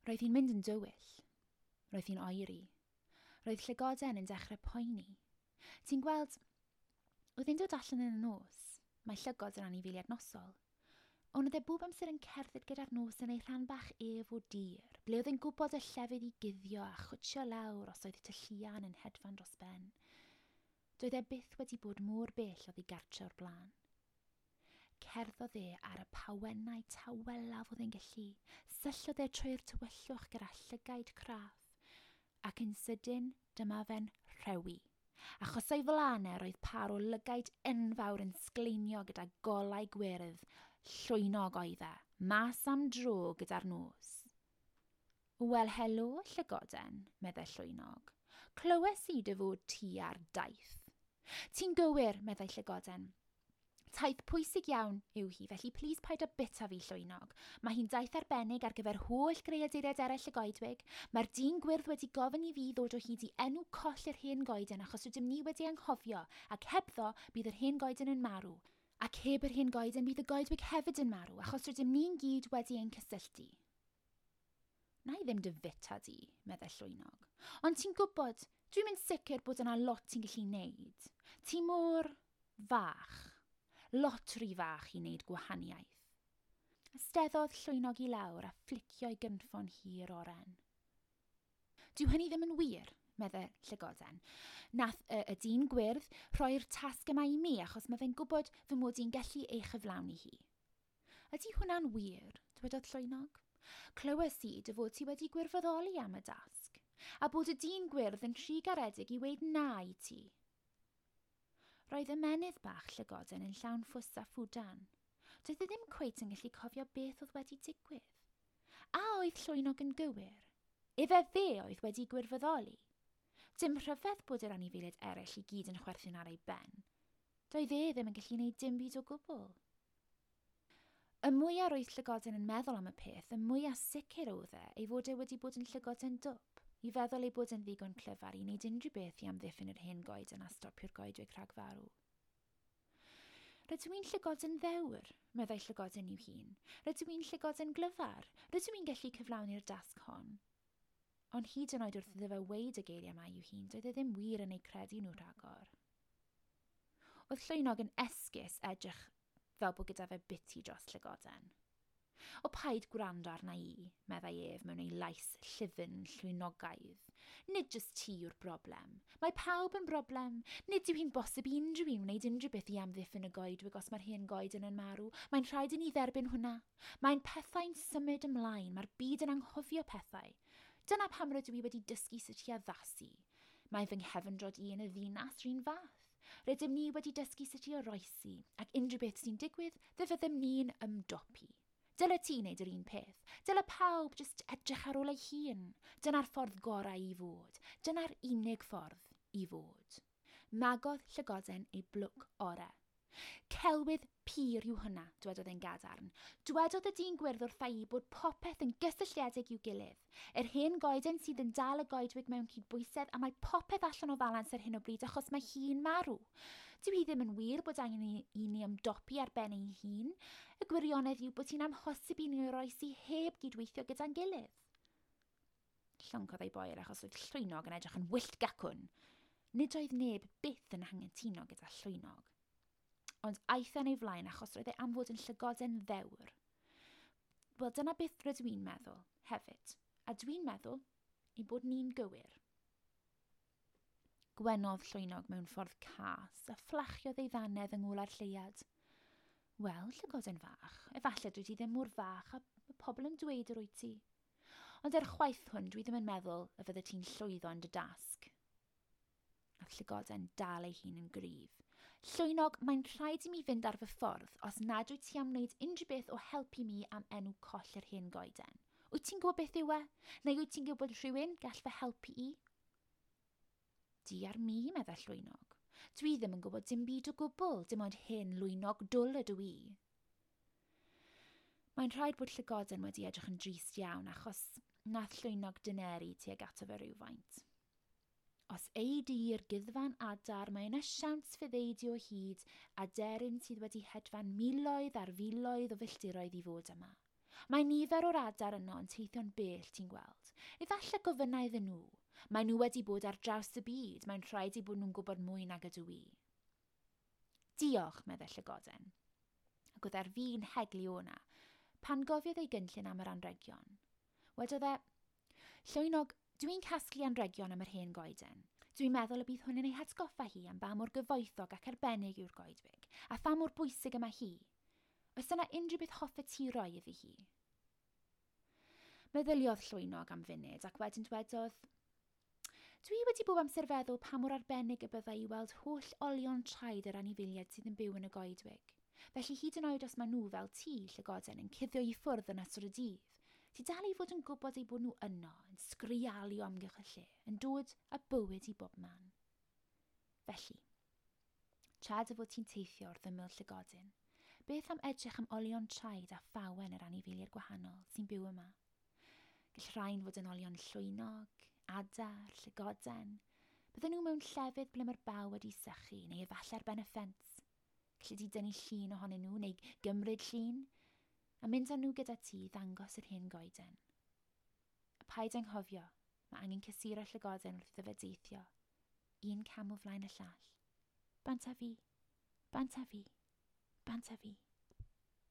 Roedd hi'n mynd yn dywyll. Roedd hi'n oeri. Roedd llygoden yn dechrau poeni. Ti'n gweld, oedd e'n dod allan yn y nos. Mae llygod yn anifeiliaid nosol. Ond oedd e bob amser yn cerdded gyda'r nos yn ei rhan bach ef o dir, ble oedd e'n gwybod y llefydd i guddio a chwtsio lawr os oedd tylluan yn hedfan dros ben. Doedd e byth wedi bod mor bell oddi gartre o'r blaen. Cerddodd e ar y pawennau tawelaf oedd e'n gallu, syllodd e trwy'r tywyllwch gyda llygaid craff, ac yn sydyn dyma fe'n rhewi. Achos o'i flaen e roedd par o lygaid enfawr yn sgleinio gyda golau gwyrdd, llwynog oedd e, mas am dro gyda'r nos. Wel, helo, llygoden, meddai llwynog. Clywes i dy fod ti ar daith. Ti'n gywir, meddai llygoden. Taith pwysig iawn yw hi, felly plîs paid â bita fi llwynog. Mae hi'n daith arbennig ar gyfer holl greaduriaid eraill y goedwig. Mae'r dyn gwyrdd wedi gofyn i fi ddod o hyd i enw coll yr hen goeden achos rydym ni wedi anghofio, ac hebddo bydd yr hen goeden yn marw. Ac heb yr hen goeden bydd y goedwig hefyd yn marw, achos rydym ni'n gyd wedi ein cysylltu. Na i ddim dy fita di, meddai llwynog. Ond ti'n gwybod, dwi'n mynd sicr bod yna lot ti'n gallu neud. Ti mor fach. Lot rhy fach i wneud gwahaniaeth. Ysteddodd llwynog i lawr a fflicio'i gynffon hir oren. Dyw hynny ddim yn wir, meddai llygoden. Nath y, y dyn gwyrdd rhoi'r tasg yma i mi achos mae fe'n gwybod fy mod i'n gallu ei chyflawni hi. Ydy hwnna'n wir, dwedodd llwynog. Clywes i dy fod ti wedi gwirfoddoli am y dasg, a bod y dyn gwyrdd yn rhy garedig i weud na i ti. Roedd ymennydd bach llygoden yn llawn ffws a ffwdan. Doedd e ddim cweit yn gallu cofio beth oedd wedi digwydd. A oedd llwynog yn gywir? Efe fe oedd wedi gwirfoddoli? Dim rhyfedd bod yr anifeiliaid eraill i gyd yn chwerthin ar ei ben. Doedd e ddim yn gallu gwneud dim byd o gwbl. Y mwyaf roedd llygoden yn meddwl am y peth, y mwyaf sicr oedd e ei fod e wedi bod yn llygoden dwp, i feddwl ei bod yn ddigon clyfar i wneud unrhyw beth i amddiffyn yr hen goeden a stopio'r goedwig rhag farw. Rydw i'n llygoden ddewr, meddai llygoden i'w hun. Rydw i'n llygoden glyfar. Rydw i'n gallu cyflawni'r dasg hon. Ond hyd yn oed wrth iddo fe weud y geiriau yma i'w hun, doedd e ddim wir yn eu credu nhw rhagor. Oedd llwynog yn esgus edrych fel bod gyda fe biti dros llygoden. O paid gwrando arna i, meddai ef mewn ei lais llyfn llwynogaidd. Nid jyst ti yw'r broblem. Mae pawb yn broblem. Nid yw hi'n bosib i unrhyw un wneud unrhyw beth i amddiffyn y goedwig os mae'r hen goeden yn marw. Mae'n rhaid i ni dderbyn hwnna. Mae'n pethau'n symud ymlaen. Mae'r byd yn anghofio pethau. Dyna pam rydw i wedi dysgu sut i addasu. Mae fy nghefndrod i yn y ddinas rhan fath. Rydym ni wedi dysgu sut i oroesi, ac unrhyw beth sy'n digwydd, fe fyddem ni'n ymdopi. Dyle ti wneud yr un peth. Dyle pawb jyst edrych ar ôl ei hun. Dyna'r ffordd gorau i fod. Dyna'r unig ffordd i fod. Magodd llygoden ei blwc orau. Celwydd pur yw hwnna, dwedodd e'n gadarn. Dwedodd y dyn gwyrdd wrtha i bod popeth yn gysylltiedig i'w gilydd. Yr hen goeden sydd yn dal y goedwig mewn cydbwysedd a mae popeth allan o falans ar hyn o bryd achos mae hi'n marw. Dyw hi ddim yn wir bod angen i, i ni ymdopi ar ben ein hun. Y gwirionedd yw bod hi'n amhosib i ni oroesi heb gydweithio gyda'n gilydd. Llyncodd ei boer achos oedd llwynog yn edrych yn wyllt gacwn. Nid oedd neb byth yn anghytuno gyda llwynog. Ond aeth e'n ei flaen achos roedd e am fod yn llygoden ddewr. Wel, dyna beth rydw i'n meddwl hefyd. A dwi'n meddwl ein bod ni'n gywir. Gwenodd llwynog mewn ffordd cas a fflachiodd ei ddannedd yng ngwla'r lleuad. Wel, llygoden fach, efallai dwi ti ddim mor fach a mae pobl yn dweud yr wyt ti. Ond er chwaith hwn, dwi ddim yn meddwl y fydde ti'n llwyddo yn dy dasg. Nath llygoden dal ei hun yn gryf. Llwynog, mae'n rhaid i mi fynd ar fy ffordd os nad wyt ti am wneud unrhyw beth o helpu mi am enw coll yr hen goeden. Wyt ti'n gwybod beth yw e? Neu wyt ti'n gwybod rhywun gall fy helpu i? Di ar mi, meddai llwynog. Dwi ddim yn gwybod dim byd o gwbl, dim ond hen lwynog dwl ydw i. Mae'n rhaid bod llygoden wedi edrych yn drist iawn achos nath llwynog dyneru tuag ato fe rhywfaint. Os ei di i'r gyddfan adar, mae yna siawns fydd ei di o hyd aderyn sydd wedi hedfan miloedd ar filoedd o filltiroedd i fod yma. Mae nifer o'r adar yno yn teithio'n bell, ti'n gweld. Efallai gofynna iddyn nhw. Mae nhw wedi bod ar draws y byd, mae'n rhaid eu bod nhw'n gwybod mwy nag ydw i. Diolch, meddai Llygoden. Ac oedd ar fin heglu o'na, pan gofiodd ei gynllun am yr anregion. Wedodd e, Llwynog, dwi'n casglu anregion am yr hen goeden. Dwi'n meddwl y bydd hwn yn ei hatgoffa hi am ba mor gyfoethog ac arbennig yw'r goedwig, a pha mor bwysig y mae hi. Oes yna unrhyw beth hoffet ti roi iddi hi? Meddyliodd Llwynog am funud ac wedyn dwedodd, Dwi wedi bob amser feddwl pa mor arbennig y byddai i weld holl olion traed yr anifeiliaid sydd yn byw yn y goedwig. Felly hyd yn oed os maen nhw fel ti, llygoden, yn cuddio i ffwrdd yn ystod y dydd, ti dal i fod yn gwybod eu bod nhw yno, yn sgrialu o amgylch y lle, yn dod â bywyd i bob man. Felly, tra dy fod ti'n teithio wrth ymyl llygodyn, beth am edrych am olion traed a phawen yr anifeiliaid gwahanol sy'n byw yma? Gall rhain fod yn olion llwynog, adar, llygoden. Bydden nhw mewn llefydd ble mae'r baw wedi sychu neu efallai ar ben y ffens. Gallu di dynnu llun ohonyn nhw neu gymryd llun a mynd â nhw gyda ti i ddangos yr hen goeden. A paid anghofio, mae angen cysuro llygoden wrth iddo fe deithio. Un cam o flaen y llall. Bant a fi, bant a fi, bant a fi.